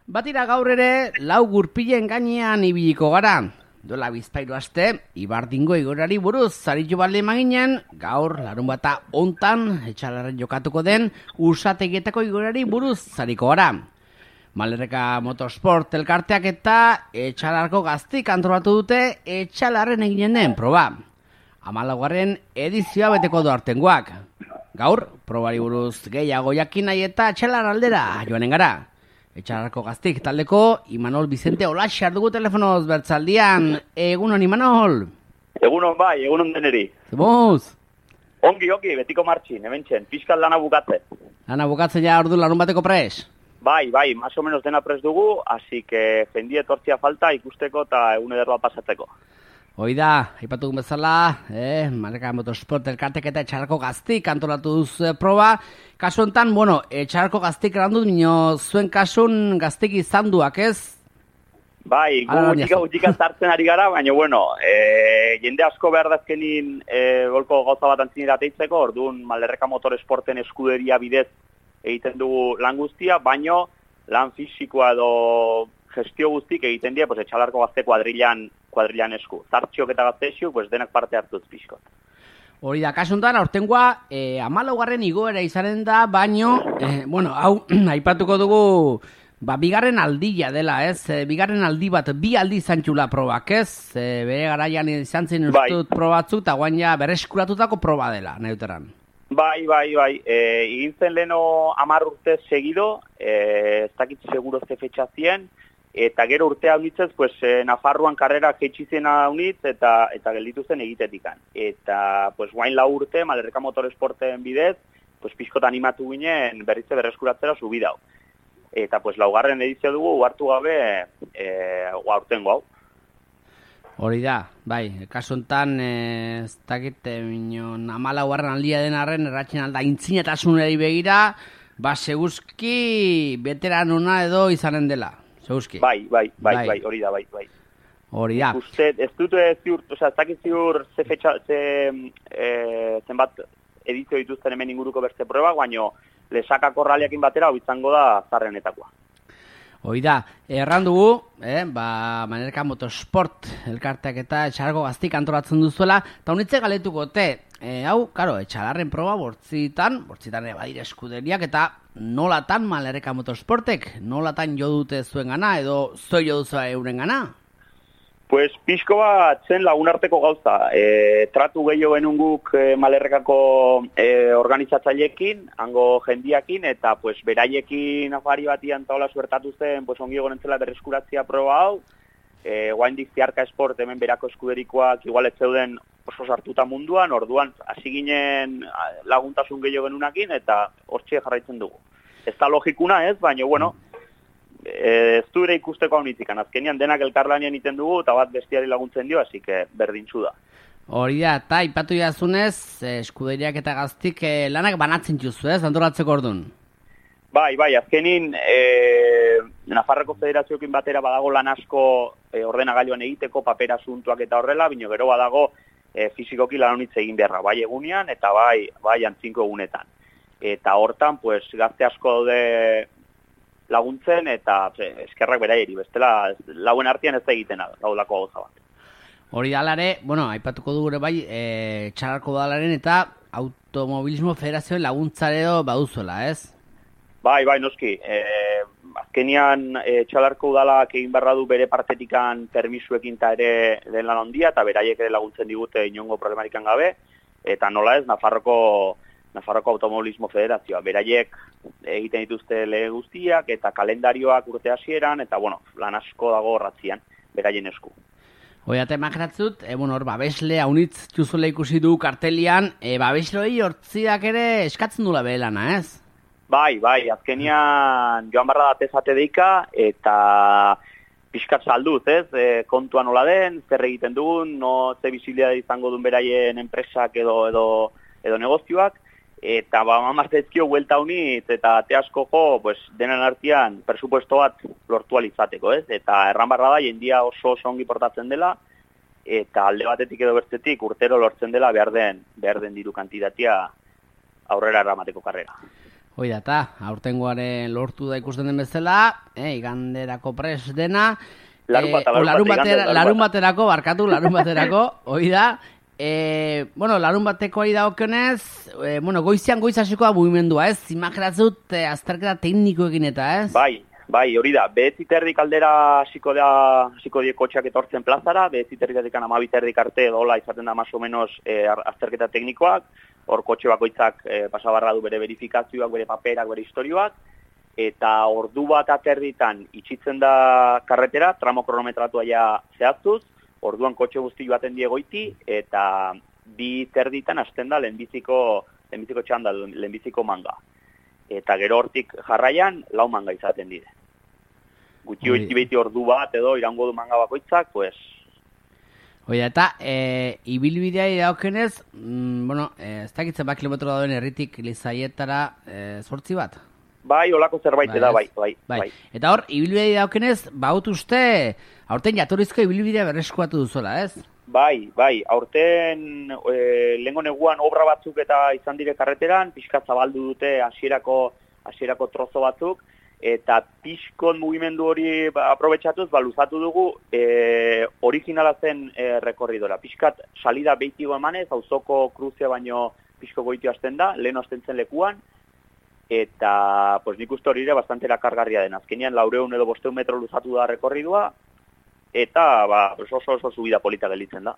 Batira gaur ere, lau gurpilen gainean ibiliko gara. Dola bizpairu aste, Ibardingo igorari buruz zaritu balde maginen, gaur larun bata hontan, etxalarren jokatuko den, Usategietako igorari buruz zariko gara. Malerreka Motorsport elkarteak eta etxalarko gaztik antolatu dute etxalarren eginen den proba. 14. edizioa beteko du artengoak. Gaur, probari buruz gehiago jakin nahi eta etxalar aldera joanen gara. Etxalarko gaztik taldeko Imanol Vicente Olaxar dugu telefonoz bertzaldian. Egunon, Imanol? Egunon bai, egunon deneri. Zemuz? Ongi, betiko martxin, hementxen, fiskal lana bukatze. Lana bukatze ja ordu larun bateko pres? Bai, más o menos dena pres dugu, así que jendie tortzia falta ikusteko eta egun ederroa pasatzeko. Hoi da, aipatu bezala, Malerreka Motorsport elkartek eta etxalarko gaztik antolatu duz proba. Kasu enten, etxalarko gaztik erandu, nino zuen kasun gaztik izan duak, ez? Bai, gutxika zartzen ari gara, baina, jende asko behar dazkenin golko gauza bat antzinera teitzeko, orduan Malerreka Motorsporten eskuderia bidez egiten dugu lan guztia, baina lan fisikoa edo gestio guztik egiten dira, etxalarko gazte kuadrilan esku. Zartxiok eta gazteixiuk, denak parte hartuz pixkot. Hori da, kasuntan, aurtengoa 14. igoera izanen da, baino, hau, aipatuko dugu, bigarren aldia dela, ez? Bigarren aldi bat, bi aldi zantxula probak, ez? Bere garaian izan zen ustut probatzuk, eta guain ja bereskuratutako proba dela, nahi duteran. Bai. Egin zen leheno 10 urte segido, ez dakit seguro ze fetxa zien, eta gero urtea unitzez, Nafarroan karrera jeitxizena unitz eta gelditu zen egitetikan. Eta, guain 4 urte, Malerreka Motorsporten bidez, pixkot animatu ginen berritze berreskuratzera subidau. Eta, 4. edizio dugu, hartu gabe, aurtengo hau. Hori da, bai, kasu honetan, ez dakit, 14. aldia den arren, erratxen alda intzinatasунari begira, seguzki veteranona edo izanen dela. Seguzki. Bai, hori da, bai. Hori da. Uste, ez dut ziur, ez dakit ziur zenbat edizio dituzten hemen inguruko beste proba, baina lesakako raliakin batera hau izango da zarrenetakoa. Hoi da, erran dugu, Malerreka Motorsport elkarteak eta etxalarko gaztik antolatzen duzuela, eta honitze galetuko hau, etxalarren proba bortzitan badire eskuderiak, eta nolatan Malerreka Motorsportek, nolatan jo dute zuen gana, edo zoi jo duzu euren gana? Pixko bat zen lagunarteko gauza. Tratu gehiago genunguk Malerrekako organizatzaileekin, hango jendiakin, eta beraiekin afari batian taola suertatu zen, ongi gonentzela berreskuratzia proba hau. Guaindik Ziarka Esport hemen berako eskuderikoak igual ez zeuden oso sartuta munduan, orduan hasi ginen laguntasun gehiago genunakin, eta hortxe jarraitzen dugu. Ez da logikuna ez, baina, ez du ere ikusteko hau nitikan. Azkenian denak elkarlanean iten dugu, eta bat bestiari laguntzen dio, hasi que berdintxu da. Hori da, eta ipatu jazunez, eskuderiak eta gaztik lanak banatzen juzu, ez, antolatzeko orduan? Bai, azkenin, Nafarroko Federazioekin batera badago lan asko ordenagailuan egiteko, papera asuntuak eta horrela, bino gero badago fizikoki lan honitz egin beharra, bai egunean eta bai antzinko egunetan. Eta hortan, gazte asko daude laguntzen eta eskerrak beraieri, bestela lauen artean ez da egiten gaudako gauza bat. Hori dalare, aipatuko dugu bai, etxalarko udalaren eta automobilismo federazioen laguntzareo baduzuela, ez? Bai, noski. Azkenian etxalarko udalak egin barra du bere partetikan permisuekin eta ere den lan ondia, eta beraiek ere laguntzen digute inongo problemarikan gabe, eta nola ez, Nafarroko Automobilismo Federazioa. Beraiek egiten dituzte lege guztiak eta kalendarioak urte hasieran, eta lan asko dago horratzian, beraien esku. Hoiate makratzut, babesle haunitz txuzule ikusi du kartelian, babesloi hortziak ere eskatzen dula behelana, ez? Bai, azkenian joan barra datezate deika, eta pixkat salduz, ez? Kontua nola den, zer egiten dugun, ze bizilia izango duen beraien enpresak edo negozioak, eta martezkio huelta honitz, eta te asko denen artean presupuesto bat lortu alizateko, ez? Eta erran barra da, jendia oso ongi portatzen dela, eta alde batetik edo bertzetik urtero lortzen dela behar den diru kantidatia aurrera eramateko karrera. Hoi da, eta aurtengoaren lortu da ikusten den bezala, iganderako pres dena, larun baterako, hoi da, larun bateko ari daukionez, goizean goiz hasiko da mugimendua, ez? Imaginatzut azterketa teknikoekin eta, ez? Bai, hori da, 9:30 aldera hasiko die kotxeak etortzen plazara, 9:30 12:30 arte dola izaten da más o menos azterketa teknikoak, hor kotxe bakoitzak pasabarra du bere verifikazioak, bere paperak, bere historioak, eta ordu bat aterditan itxitzen da karretera, tramo kronometratua ja zehaztuz, orduan kotxe guzti joaten die goiti, eta 2:30 hasten da lehenbiziko txanda, lehenbiziko manga. Eta gero hortik jarraian, 4 manga izaten dire. Gutxi hoiti beti ordu bat edo irango du manga bakoitzak, pues... Oia, eta ibilbidea idaukenez, ez dakitzen bat kilometro dauen herritik Lizaietara 8 bat? Bai, olako zerbait da, bai. Eta hor, ibilbidea idaukenez, baut uste, aurten jatorrizko ibilbidea berreskuatu duzuela, ez? Bai, aurten lehengo neguan obra batzuk eta izan dire karreteran, pixka zabaldu dute hasierako trozo batzuk, eta pixkon mugimendu hori aprobetxatuz, luzatu dugu originala zen rekorridora. Pixkat salida behitiko emanez, auzoko kruzea baino pixko goitu hasten da, lehen hasten zen lekuan, eta pues, nik uste hori ere bastante erakargarria den. Azkenean 400 edo 500 metro luzatu da rekorridua, eta oso subida polita gelitzen da.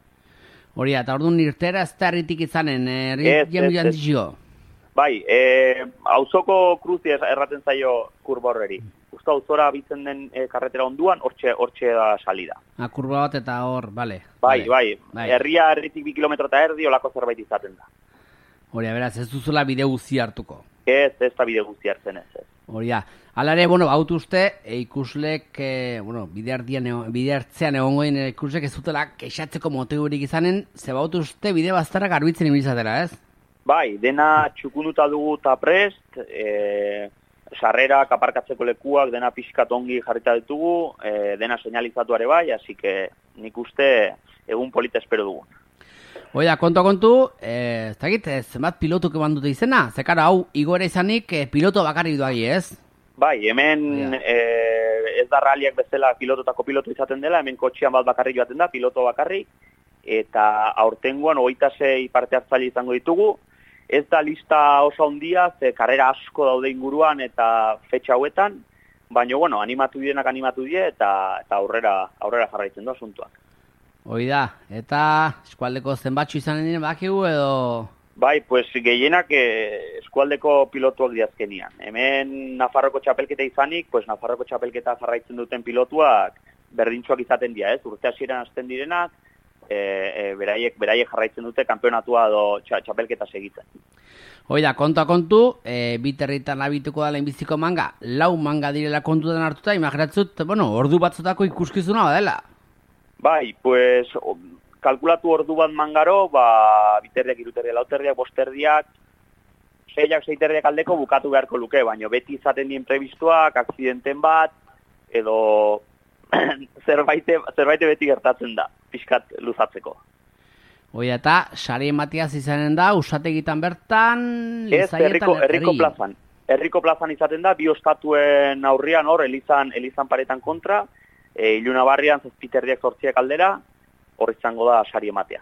Hori, eta orduan irtera ez da herritik izanen, herri Bai, auzoko kruzi erraten zaio kurba horreri. Usta auzora bitzen den karretera onduan, hortxe da salida. Kurba bat eta hor, bale. Bai. Herria herritik 2 kilometro eta erdi olako zerbait izaten da. Hori, beraz, ez duzula bide guzti hartuko. Ez da bide guzti hartzen ez. Hori, hala ere, baut uste, ikuslek, bide hartzean egongoen ikuslek ez dutela kexatzeko motiburik izanen, ze baut uste bide bazterrak garbitzen ibilizatera, ez? Bai, dena txukunduta dugu eta prest, sarrerak, aparkatzeko lekuak, dena pixkat ongi jarrita ditugu, dena señalizatuare bai, así que nik uste egun polita espero dugu. Oida, kontu, ez dakit, zenbat pilotuk eman dute izena? Zekara, hau, igoera izanik, piloto bakarrik duagi, ez? Bai, hemen ez da raliak bezala pilototako piloto izaten dela, hemen kotxean bat bakarrik joaten da, piloto bakarrik, eta aurtengoan 26 parte hartzaile izango ditugu. Ez da lista oso handia, ze karrera asko daude inguruan eta fetxa hauetan, baina, animatu die eta aurrera jarraitzen du asuntuak. Hoi da, eta eskualdeko zenbatxu izanen diren bakigu edo... Bai, pues gehienak eskualdeko pilotuak diazkenian. Hemen Nafarroko txapelketa izanik, pues Nafarroko txapelketa jarraitzen duten pilotuak berdintxoak izaten dira, ez? Urte hasieran hasten direnak, beraiek jarraitzen dute kanpeonatua edo txapelketa segitzen. Hoi da, kontu, biterritan abituko da lehenbiziko manga, 4 manga direla kontutan hartuta, imaginatzut, ordu batzutako ikuskizuna badela. Bai, pues, kalkulatu ordu bat mangaro, biterriak, 3 terdiak, 4 terdiak, 5 terdiak, 6 terdiak aldeko bukatu beharko luke, baina beti izaten dien prebistuak, akzidenten bat, edo zerbait beti gertatzen da, pixkat luzatzeko. Hoi eta, sari ematiaz izanen da, usategitan bertan, Lizaietan, herriko plazan izaten da, 2 ostatuen aurrian hor, elizan paretan kontra, Ilunabarrian 7 terdiak 8 aldera, hor izango da sari ematea.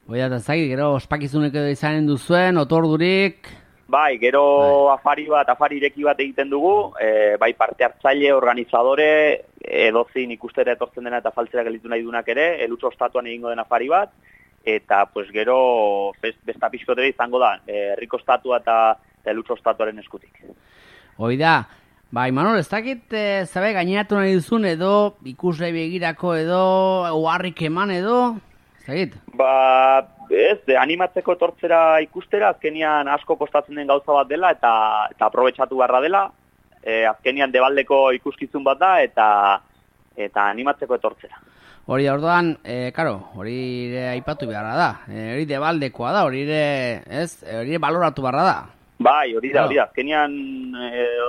Hoi eta zagit, gero ospakizunek edo izanen duzuen, otordurik... Bai, gero afari ireki bat egiten dugu, bai parte hartzaile, organizadore, edozin ikustera etortzen dena eta faltzera gelitu nahi dunak ere, elutso ostatuan egingo den afari bat, eta pues gero besta pixkotere izango da, herriko estatua eta elutso ostatuaren eskutik. Hoi da, Imanol, ez dakit zabe gaineratu nahi duzun edo ikusle begirako edo oharrik eman edo, ez dakit? Animatzeko etortzera ikustera, azkenian asko kostatzen den gauza bat dela eta aprobetxatu beharra dela, azkenian debaldeko ikuskizun bat da eta animatzeko etortzera. Hori da, orduan, hori ere aipatu beharra da, hori debaldekoa da, hori ere baloratu beharra da. Bai, hori da, azkenian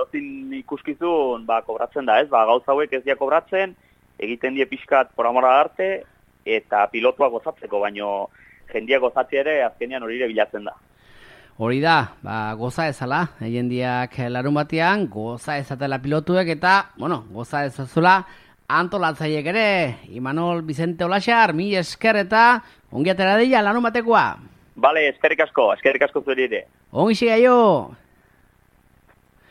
ozin ikuskizun kobratzen da, gauza hauek ez dia kobratzen, egiten die pixkat por amor al arte, eta pilotua gozatzeko, baino jendia gozatzea ere azkenean hori ere bilatzen da. Hori da, goza ezala, jendiak larun batean, goza ezatela pilotuek eta, goza ezazula antolatzaiek ere. Imanol Vicente Olaxar, mi esker eta ongi atera dira larun batekoa. Bale, eskerrik asko zuri ere. Ongi siga jo!